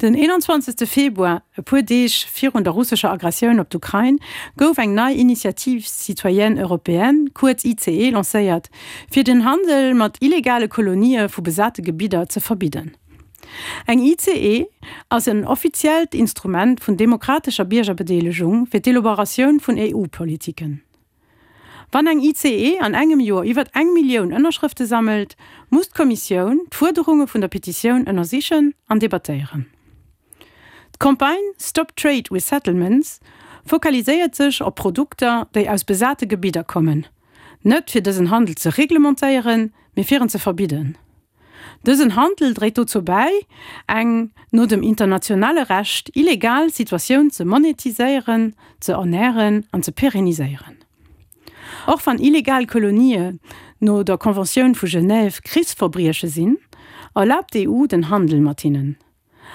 Den 21. Februar, e puer Deeg virun der russescher Aggressioun op d'Ukrain, gouf eng nei Initiative citoyenne européenne, kuerz ICE, lancéiert, fir den Handel mat illegale Kolonië vu besate Gebidder ze verbidden. Eng ICE ass en offiziellt Instrument vun demokratescher Biergerbedeelegung fir d'Elaboratioun vun EU-Politiken. Wann eng ICE an engem Joer iwwer eng Millioun Ënnerschrëfte sammelt, muss d'Kommissioun d'Fuerderunge vun der Petitioun ënnersichen an debattéieren. D'Campagne Stop Trade with Settlements fokaliséiert sech op Produkter, déi aus besate Gebidder kommen, net fir dësen Handel ze reglementéieren, mee fir en ze verbidden. Dësen Handel dréit dozou bäi, eng, no dem internationale Recht, illegal Situatioun ze monetiséieren, ze ernären an ze pérenniséieren. Och wann illegal Kolonië no der Conventioun vu Genève Krichsverbrieche sinn, erlaabt d'EU den Handel mat hinnen.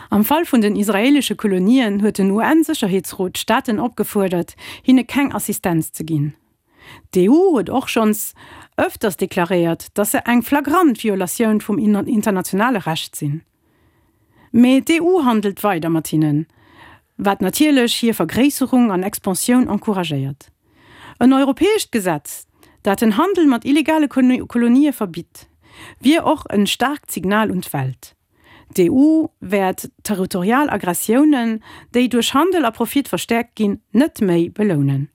Am Fall vun den israeelesche Kolonien huet den UN-Sécherheetsrot d'Staaten opgefuerdert, hinne keng Assistenz ze ginn. D'EU huet och schonns ëfters deklaréiert, datt se eng flagrant Violatioun vum internationale Recht sinn. Mee d'EU handelt weider mat hinnen, wat natierlech hir Vergréisserung an Expansioun encouragéiert. En europäescht Gesetz, dat den Handel mat illegale Kolonië verbitt, wier och en staarkt Signal un d'Welt. D'EU wäert territorial Aggressiounen, déi duerch Handel a Profit verstäerkt ginn, net méi belounen.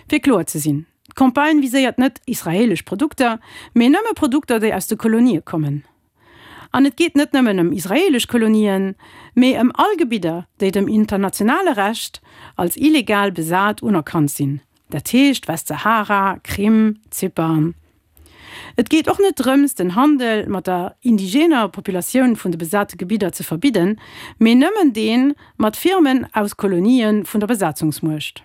Fir kloer ze sinn, D'Campagne viséiert net israeelesch Produkter, mee nëmme Produkter, déi aus de Kolonië kommen. An et geet net nëmmen ëm israeelesch Kolonien, mee ëm all Gebidder, déi dem internationale Recht als illegal besat unerkannt sinn, dat heescht Westsahara, Krim, Zypern. Et geet och net drëms, den Handel mat der indigener Populatioun vun de besate Gebidder ze verbidden, mee nëmmen dee mat Firmen aus Kolonië vun der Besatzungsmuecht.